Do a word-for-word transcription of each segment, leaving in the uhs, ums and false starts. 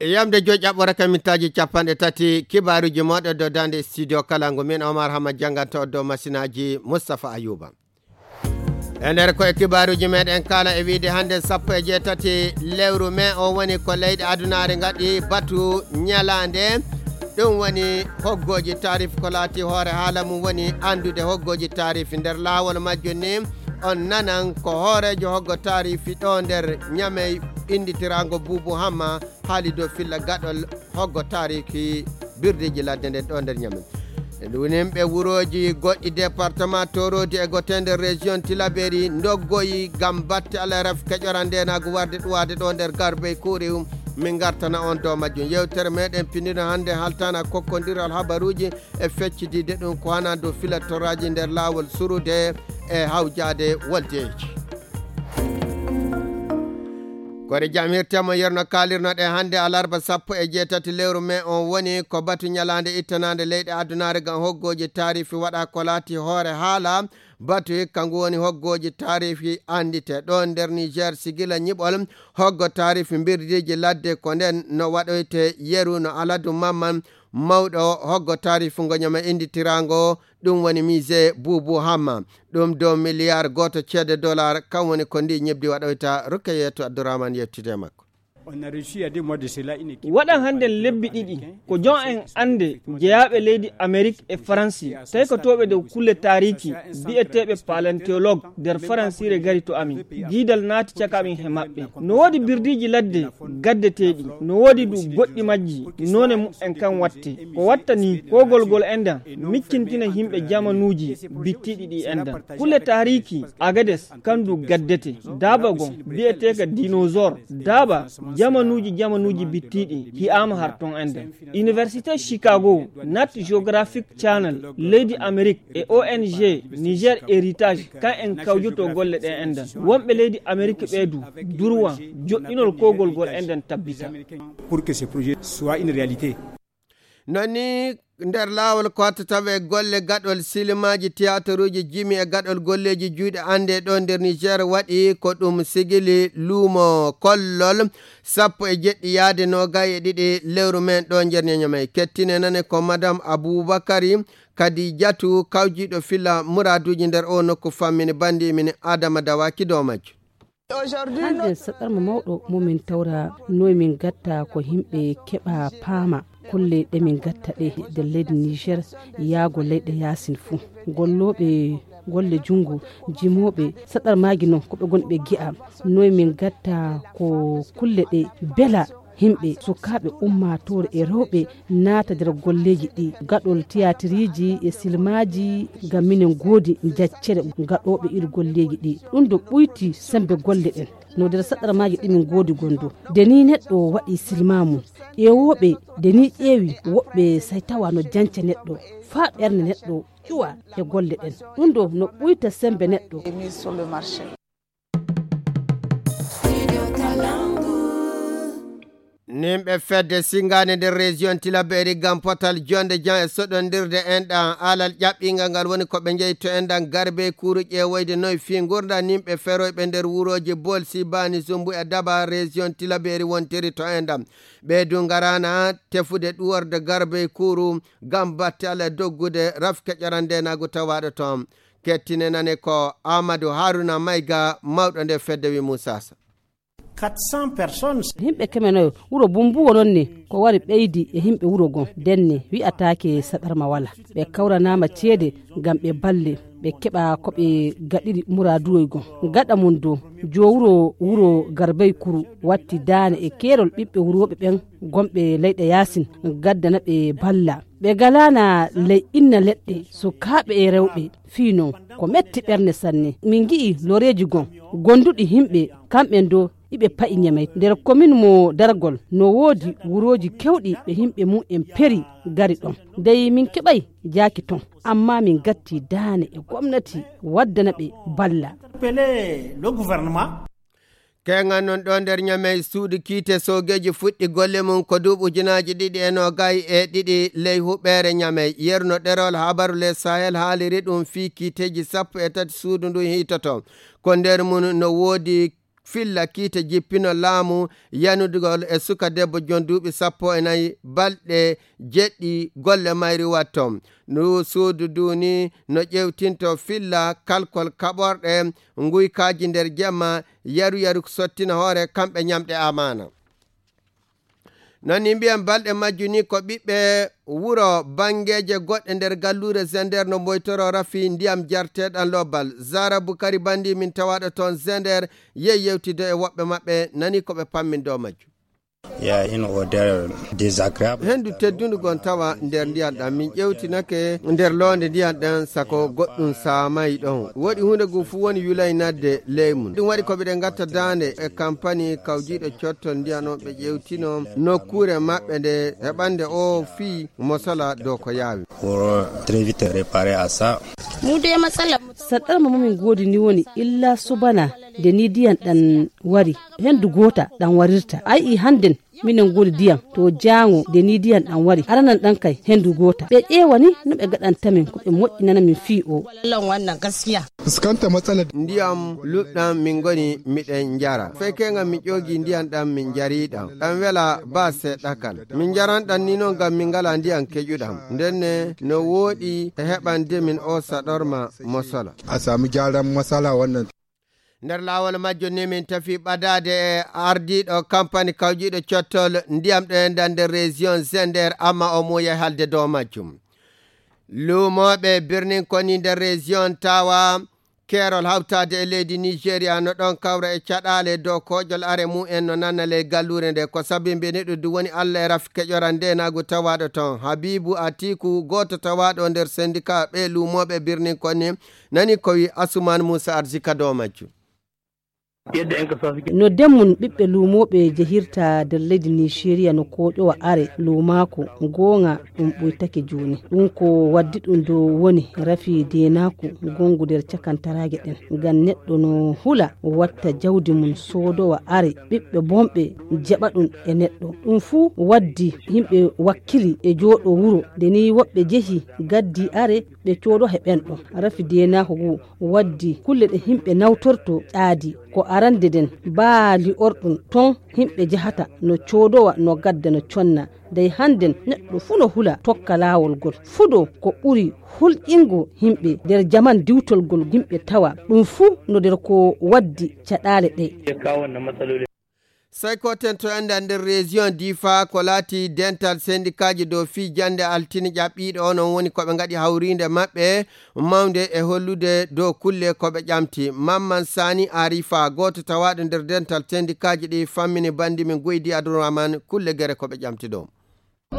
Yamde joyi ƴaɓɓore ka mintaaji capanɗe tati, kibaaruuji mooɗon dow daande studio kala ngu, min Omar Hama jannganto dow masinaaji Mustapha Ayuba. E nder koye kibaaruuji meɗen kala e wiide hannde sappo e jeetati lewru mee o woni ko leyɗe adunaare ngaɗi batu ñalaande. Ɗum woni hoggooji taarif ko laati hoore haala mum woni anndude hoggooji taarif nder laawol majjum ni. On nanan ko hooreejo hoggo taarifi ɗo nder Ñamey innditiraango Buubu Hamma haali dow filla gaɗol hoggo taariki birdeeji ladde nden ɗo nder Ñamey. Ɗum yimɓe wurooji goɗɗi département Torodi e gote nder région Tilaberi ndoggoyi ngam batte alaraf keƴora ndenaagu warde ɗuwaade ɗo nder Garbey Kuuri. Min ngartana on dow majjum. Yewtere meɗen pindino hannde haltana kokkondiral habaruuji e feccidiide ɗum ko hana dow filatoraaji nder laawol surude e hawjaade woldeeji. Kore jam hirtemo yerno kalirnoɗe hannde alarba sappo e jeetati lewru mee on woni ko batu ñalaande ittanaande leyɗe addunaare ngam hoggooji taarifi waɗa ko laati hoore haala. Batu hikka ngu woni hoggooji taarifi anndite ɗo nder Niger sigila ñiɓol hoggo taarifi mbirdiiji ladde ko nden no waɗoyte yeru no Aladu Mamman mawɗo hoggo taarifu ngo Ñamey innditiraango. Ɗum woni musée Buubu Hamma. Ɗum dow miliyar gooto ceede dollar, kam woni ko ndi ñebdi waɗoyta. Rukayatu Abdourahmane yettude e makko. Waɗan hannden lebbi ɗiɗi ko jon en annde jeyaaɓe leydi Amerik e Faransi, taykotooɓe dow kulle taariiki biyeteeɓe palanteologue nder Faransiire ngari to amin. Diidal naati caka amin he maɓɓe. No woodi birdiiji ladde gaddeteeɗi, no woodi du goɗɗi majji noone mumen kan watte. Ko watta ni kogol gol endan miccintina yimɓe jamanuuji bittiiɗi ɗi endan. Kulle taariiki Agades kan du gaddete. Daaba gon biyeteeka dinosaure. Daaba jamanuuji jamanuuji bittiiɗi hi'aama har ton endan. Université Chicago, Nat Geographic Channel, leydi Amerik e O N G Niger Heritage kan en kawjoto golle ɗen endan. Wonɓe leydi Amerik ɓee du durwan joɗɗinol kogol gol endan tabbita. Pour que ce projet soit une réalité. Non ni nder laawol ko watta tawe golle gaɗol silimaaji tiyataruuji jimi e gaɗol golleeji juuɗe annde ɗo nder Niger waɗi ko ɗum sigili luumo kollol sappo e jeɗɗi yaade noogay e ɗiɗi lewru men ɗo nder Ñamey. Kettine nane ko Madame Aboubakary Kadijatu kawjiiɗo filla muraaduuji nder o nokku fammini banndi min Adama Dawaki dow majjo. Hannde saɗarma mawɗo mo min tawra noy min gatta ko yimɓe keɓa paama kulle ɗe min gatta ɗe nder leydi Niger yaago leyɗe yaasin fuu. Gollooɓe golle junngo jimooɓe saɗarmaaji noon ko ɓe ngonɓe gi'a noy min gatta ko kulle ɗe bela yimɓe sukaaɓe ummaatoore e rewɓe naata nder golleeji ɗi gaɗol tiyatiriiji e silmaaji ngam minen ngoodi jaccere gaɗooɓe ir golleeji ɗi. Ɗum ɗo ɓuyti semmbe golle ɗen no nder saɗarmaaji ɗi min ngoodi gondo. Nde ni neɗɗo waɗi silma mum ƴeewooɓe nde ni ƴeewi woɓɓe say tawa no janca neɗɗo faa ɓernde neɗɗo ƴuwa e golle ɗen. Ɗum ɗo no ɓuyta semmbe neɗɗo. Nimɓe fedde singaande nder région Tilaberi ngam potal jonde jan e soɗondirde enɗan alal ƴaɓɓingal ngal woni ko ɓe njeyto enɗan garbe kuru ƴeewoyde noy fii ngurdan nimɓe feroyɓe nder wurooji Bolsi, Bani, Zumbu e Daba région Tilaberi wontiri to enɗan. Ɓe du ngarana tefude ɗuworde garbe kuru ngam batte alal doggude rafke ƴarandenaagu tawaaɗo toon. Kettinenane ko Amadou Haruna Mayga, mawɗo nde fedde wi Moussa Sa. Yimɓe keme nayo wuro Bumbuwo noon ne ko wari ɓeydi e yimɓe wuro gon denne wi'ataake saɗarma wala. Ɓe kawranaama ceede ngam ɓe balle ɓe keɓa ko ɓe gaɗiri muraaduwoy gon. Gaɗa mum dow joo wuro wuro Garbay Kuru watti daane e keerol ɓiɓɓe wurooɓe ɓen gonɓe leyɗe yaasin gaddana ɓe balla. Ɓe galaana ley inna leɗɗe sukaaɓe e rewɓe fii non ko metti ɓernde sanne. Min ngi'i loreeji gon gonduɗi yimɓe kamɓen do iɓe pa'i Ñamey nder komin mo Dargol no woodi wurooji kewɗi ɓe yimɓe mum en peri gari ɗon. Dey min keɓay jaaki ton amma min gatti daane e gomnati waddana ɓe balla. Keŋan non ɗo nder Ñamey suudu kiite soogeeji fuɗɗi golle mum ko duuɓi ujunaaji ɗiɗi e noogay e ɗiɗi ley huɓeere Ñamey. Yerno ɗerol habaru le Sahel haaliri ɗum fii kiiteeji sappo e tati suudu ndu hiitoto. Ko nder mum no woodi filla kiite jippino laamu yanudugol e suka debbo jon duuɓi sappo e nayi balɗe jeɗɗi golle mayri watto. Ndu suudu duuni no ƴewtinto filla kalkol kaɓorɗe nguykaaji nder jemma yaru yaru sottina hoore kamɓe ñamɗe amaana. Non ni mbiyan balɗe majju ni ko ɓiɓɓe wuro banngeeje goɗɗe nder galluure Zender no mboytoro rafi ndiyam jarteeɗam lobbal. Zara Bukari Bandi min tawaaɗo toon Zender yehi yewtidde e woɓɓe maɓɓe nani ko ɓe pammin dow majju. Ya une odeur désagréable. Henndu teddundu gon tawa nder ndiyan ɗan. Min ƴewtinake nder loonde ndiyan ɗan sako goɗɗum saamay ɗon. Woɗi huunde ngun fuu woni yulay nadde ley mun. Ɗum waɗi ko ɓiɗen ngatta daande e kampani kawjiiɗo cottol ndiyan on ɓe ƴewtino nokkuure maɓɓe nde heɓande o fii mosola dow ko yaawi. Pour très vite réparer à ça. Mu dai matsalar mu. Saɗɗarma mamin goodi ni woni illa subana nde ni ndiyan ɗan wari. Henndu goota ɗan warirta. Ay i hannden minen goodi ndiyan to jaango nde ni ndiyan ɗan wari. Aranan ɗan kay henndu goota. Ɓe ƴeewa ni no ɓe gaɗanta min ko ɓe moƴƴinana min fii o. Wallan wannan gaskiya. Fuskanta matsalar. Ndiyam luɗɗam min ngoni miɗen njara. Fekkenga mi ƴoogi ndiyan ɗan min njari ɗan. Ɗan wela ba seɗɗa kan. Min njaran ɗan ni non ngam min ngala ndiyan keƴuɗam. Ndenne no wooɗi e heɓande min o saɗorma mosola. A sami gyaran matsala wannan. Nder laawol majjo ni min tafi ɓadaade e ardiiɗo kampani kawjiiɗo cottol ndiyam ɗo e nder région Zender, amma o muuya halde dow majjum. Luumooɓe birnin koni nder région tawa keerol hawtaade e leydi Nigeria no ɗon kawra e caɗaale dow koƴol are mumen no nanna ley galluure nde. Ko sabi mbiɗen ɗum woni Allah e rafi keƴoran ndenaagu tawaaɗo toon. Habibu Atiku, gooto tawaaɗo nder sendika ɓe luumooɓe birnin koni, nani ko wi Asuman Musa Arzika dow majju. No demmun ɓiɓɓe luumooɓe jehirta nder leydi Nigeria no kooƴowa are luumaaku goonga ɗum ɓuytake jooni. Ɗum ko waddi ɗum dow woni rafi deenaaku gongu nder cakantaraage ɗen. Ngam neɗɗo no hula watta jawdi mum soodowa are ɓiɓɓe bonɓe jaɓa ɗum e neɗɗo. Ɗum fuu waddi yimɓe wakkili e jooɗo wuro. Nde ni woɓɓe jehi gaddi are ɓe coodo he ɓen ɗon. Rafi deenaaku ngu waddi kulle ɗe yimɓe nawtorto ƴaadi. Ko arande nden baa li'orɗum ton yimɓe jahata no coodowa no gadda no conna. Dey hannden neɗɗo fuu no hula tokka laawol ngol. Fudo ko ɓuri hulƴingo yimɓe nder jaman diwtol ngol yimɓe tawa. Ɗum fuu no nder ko waddi caɗaale ɗe. Sey ko tento enda nder région Difa ko laati dental sendikaaji dow fii jannde altine ƴaɓɓiiɗo onon woni ko ɓe ngaɗi hawriinde maɓɓe mawnde e hollude dow kulle ko ɓe ƴamti. Mamman Sani Arifa, gooto tawaaɗo nder dental sendikaaji ɗi fammini banndi min Goydi Abdourahmane kulle gere ko ɓe ƴamti ɗo.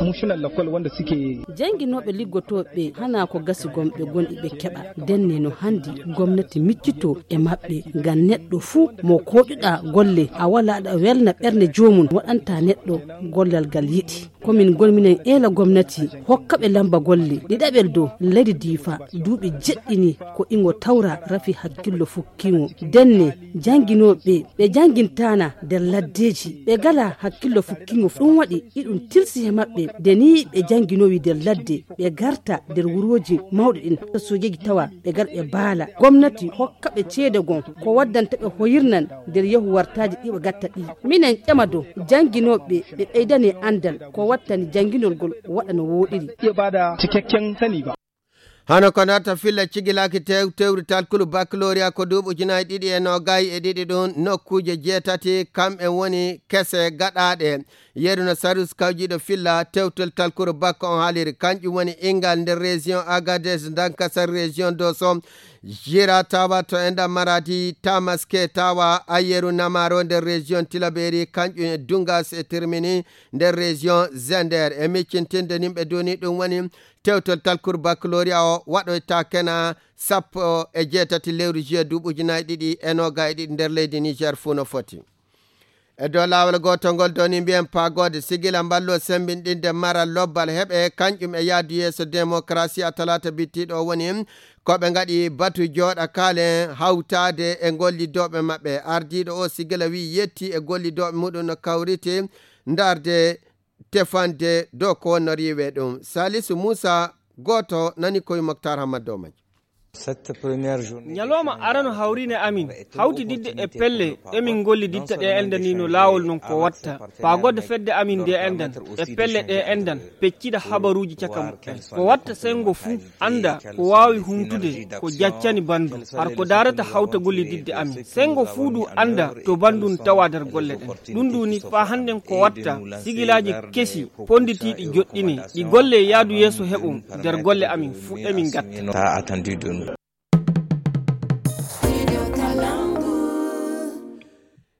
Mushinan lakwal wanda suke. Jannginooɓe liggotooɓe hanaa ko gasi gomɓe gonɗi ɓe keɓa. Denne no hanndi gomnati miccito e maɓɓe ngam neɗɗo fuu mo kooƴuɗaa golle a walaa ɗa welna ɓernde joomum waɗanta neɗɗo gollal ngal yiɗi. Ko min ngon minen eela gomnati hokka ɓe lamba golle ɗiɗaɓel dow leydi Diifa duuɓi jeɗɗini ko ingo tawra rafi hakkillo fukkiŋo. Denne jannginooɓe ɓe janngintaana nder laddeeji ɓe ngalaa hakkillo fukkiŋo ɗum waɗi iɗum tilsi he maɓɓe nde ni ɓe jannginowi nder ladde ɓe garta nder wurooji mawɗi ɗin soojeeji tawa ɓe gar ɓe baala gomnati hokka ɓe ceede gon ko waddanta ɓe hoyirnan nder yahu wartaaji ɗi ɓe gatta ɗi. Minen ƴama dow jannginooɓe ɓe ɓeydane anndal ko wattani jannginol ngol waɗa no wooɗiri. Iya bada cikakken sani ba. Hano ko nata filla cigilaaki tew tewri talkulu baccalauréat ko duuɓi ujunaaji ɗiɗi e noogay e ɗiɗi ɗum nokkuuje jeetati kam en woni kese gaɗaaɗe. Yeru no sarus kawjiiɗo filla tewtel talkuru bakko on haaliri kanƴum woni ingal nder région Agadez, Dankasar région Doso, Jira tawa to enda Maradi, Tamaske tawa Ayeru Namaro nder région Tilaberi kanƴum e Dungas e Tirmini nder région Zender. E miccintinde nimɓe duni ɗum woni tewtol talkuru baccalauréat o waɗoyta kena sappo e jeetati lewru juillet duuɓi ujunaaji ɗiɗi e noogay e ɗiɗi nder leydi Niger fuu no foti. E dow laawol gootol ngol doni mbiyen paagoode sigila mballo sembinɗinde maral lobbal heɓe kanƴum e yaadu yeeso démocratie a talaata bittiiɗo o woni ko ɓe ngaɗi batu jooɗa kaalen hawtaade e gollidooɓe maɓɓe. Ardiiɗo o sigila wi yetti e gollidooɓe muɗum no kawriti ndarde tefande dow ko wonno riiwe ɗum. Salisu Muusa gooto nani koye Moktar Hammadou Maji. Ñalawma arano hawriinde amin, hawtididde e pelle ɗe min ngolliditta ɗe enɗan ni no laawol non ko watta. Faagoode fedde amin nde enɗan, e pelle ɗe enɗan, peccida habaruuji caka muɓɓen. Ko watta senngo fuu annda ko waawi humtude ko jaccani banndum. Har ko daarata hawta gollididde amin. Senngo fuu du annda to banndum tawa nder golle ɗen. Ɗum du ni faa hannden ko watta sigilaaji kesi ponnditiiɗi joɗɗine. Ɗi golle yaadu yeeso heɓo nder golle amin fuu emin ngatta.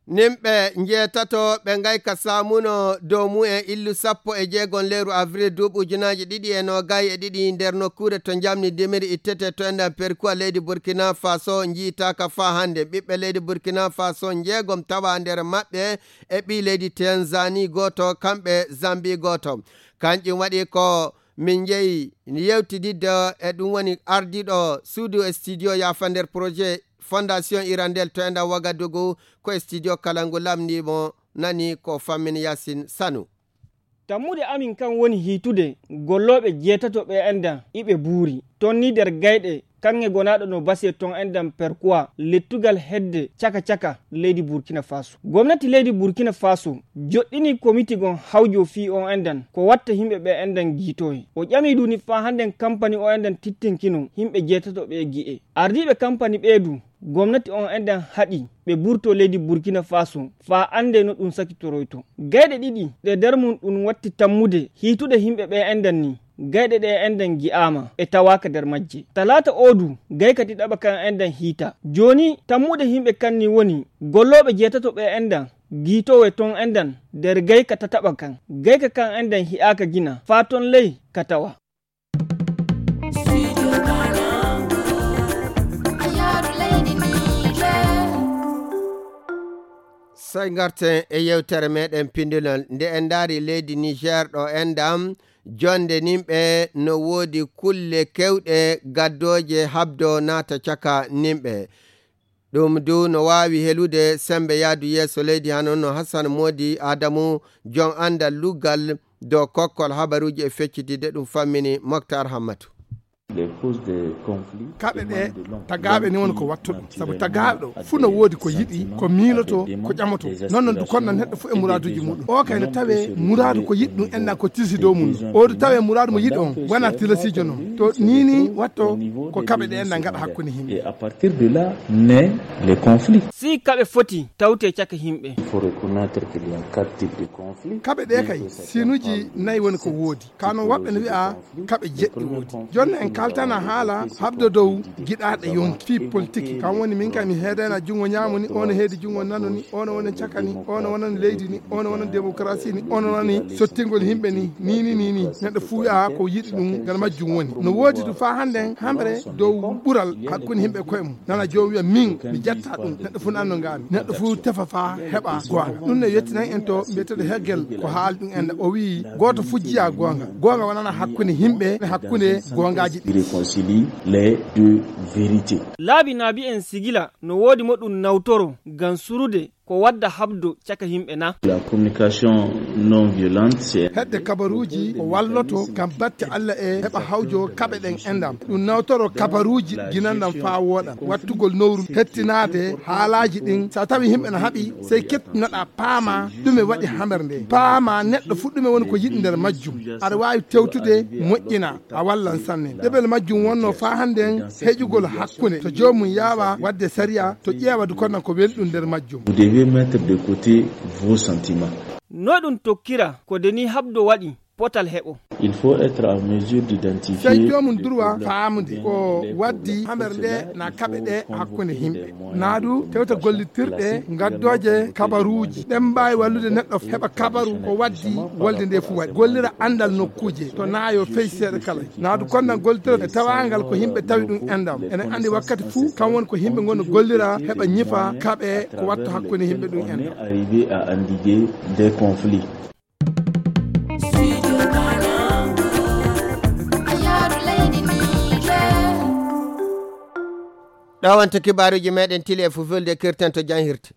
Nimɓe njeetato ɓe ngayka saamuno dow mumen illu sappo e jeegom lewru avril duuɓi ujunaaji ɗiɗi e noogay e ɗiɗi nder nokkuure to njamni dimiri ittete to enɗan Perkuwa leydi Burkina Faso njiitaaka faa hannde. Ɓiɓɓe leydi Burkina Faso njeegom tawa nder maɓɓe e ɓii leydi Tanzanie gooto, kamɓe Zambie gooto. Kanƴum waɗi ko min njehi yewtididde e ɗum woni ardiiɗo suudu e studio yaafa nder projet Fondation Hirondelle to enɗan Wagadugu ko e studio kala ngu lamndiimo nani ko Fammin Yaasin Sanu. Tammude amin kan woni hiitude gollooɓe jeetato ɓe enɗan iɓe buuri. Ton ni nder gayɗe kaŋŋe gonaaɗo no base ton enɗan Perkuwa lettugal hedde caka caka leydi Burkina Faso. Gomnati leydi Burkina Faso joɗɗini komiti gon hawjo fii on enɗan ko watta yimɓe ɓe enɗan giitoye. O ƴami du ni faa hannden kampani o enɗan tittinkino yimɓe jeetato ɓe gi'e. Ardiiɓe kampani ɓee du gomnati on enɗan haɗi ɓe burto leydi Burkina Faso faa annde no ɗum sakitoroyto. Gayɗe ɗiɗi ɗe nder mum ɗum watti tammude hiitude yimɓe ɓe enɗan ni. Gayɗe ɗe enɗan gi'aama e tawaaka nder majje. Talaata oo du gayka ɗiɗaɓa kan enɗan hiita. Jooni tammude yimɓe kan ni woni gollooɓe jeetato ɓe enɗan giitowe ton enɗan nder gayka tataɓa kan. Gayka kan enɗan hi'aaka gina faa ton ley ka tawa. Sey ngarten e yewtere meɗen pindunol. Nde en ndaari leydi Niger ɗo enɗan, jonde nimɓe no woodi kulle kewɗe gaddooje habdo naata caka nimɓe. Ɗum du no waawi helude sembe yaadu yeeso leydi hano no Hassan Modi Adamu, jon anndal luggal dow kokkol habaruuji e feccitidde ɗum fammini Moktar Hammatu. Kaɓe ɗe tagaaɓe ni woni ko wattuɗo, sabu tagaaɗo fuu no woodi ko yiɗi, ko miilotoo, ko ƴamotoo. Non non du konnan neɗɗo fuu e muraaduuji muɗum. O kay no tawee muraadu ko yiɗi ɗum enɗan ko tilsi dow mum. O du tawee muraadu mo yiɗi on wona tilasiijo non. To nii nii watto ko kaɓe ɗe enɗan ngaɗa hakkunde yimɓe. Et à partir de là naît les conflits. Si kaɓe foti tawte caka yimɓe. Il faut reconnaître qu'il y a quatre types de conflits. Kaɓe ɗe kay sinuuji nayi woni ko woodi. Kano woɓɓe no wi'a kaɓe jeɗɗi woodi. Jonna en kaltana haala habdo dow giɗaaɗe yonki fii politique. Kan woni min kay mi heedayna junngo ñaamo ni, ono heedi junngo nano ni, ono wonan caka ni, ono wonan leydi ni, ono wonan démocratie ni, ono woni sottingol yimɓe ni, ni, ni, ni, ni. Neɗɗo fuu wi'a ko yiɗi ɗum ngal majjum woni. No woodi du faa hannden hamre dow ɓural hakkunde yimɓe koye mum. Nana joom wi'a min mi jetta ɗum. Neɗɗo fuu nanno ngaami. Neɗɗo fuu tefa faa heɓa goonga. Ɗum ne yettinan en to mbiyeteeɗo Hegel ko haali ɗum en o wi'i gooto fuu jiya goonga. Goonga wonana hakkunde yimɓe e hakkunde goongaaji ɗi. Réconcilie les deux vérités. Laabi naabi en sigila no woodi mo ɗum nawtoro ngam surude ko wadda habdo caka yimɓe na? La communication non violente, c'est hedde kabaruuji ko walloto ngam batte Alla e heɓa hawjo kaɓe ɗen enɗan. Ɗum nawtoro kabaruuji ginanɗan faa wooɗa. Wattugol nowru hettinaade haalaaji ɗin. So a tawi yimɓe na haɓi, sey kettunoɗaa paama ɗume waɗi hamere nde. Paama neɗɗo fuu ɗume woni ko yiɗi nder majjum. Aɗa waawi tewtude moƴƴina. A wallan sanne. Ɗeɓel majjum wonno faa hannden heƴugol hakkunde. To joomum yaawa waɗde sariya, to ƴeewa du konnan ko weli ɗum nder majjum. Vous devez mettre de côté vos sentiments. No ɗum tokkira ko de ni habdo waɗi potal heɓo. Il faut être en mesure d'identifier. Sey joomum durwa faamude ko waddi hamere nde na kaɓe ɗe hakkunde yimɓe. Naa du tewta gollitirɗe ngaddooje kabaruuji. Ɗen mbaawi wallude neɗɗo heɓa kabaru ko waddi wolde nde fuu waɗi. Gollira anndal nokkuuje to naayo fey seeɗa kala. Naa du konnan gollitira e tawaangal ko yimɓe tawi ɗum enɗan. Enen anndi wakkati fuu kan woni ko yimɓe ngoni gollira heɓa ñifa kaɓe ko watta hakkunde yimɓe ɗum enɗan. Arriver à endiguer des conflits. Ɗo wonta kibaaruuji meɗen tili e fulfulde kirten to janhirde.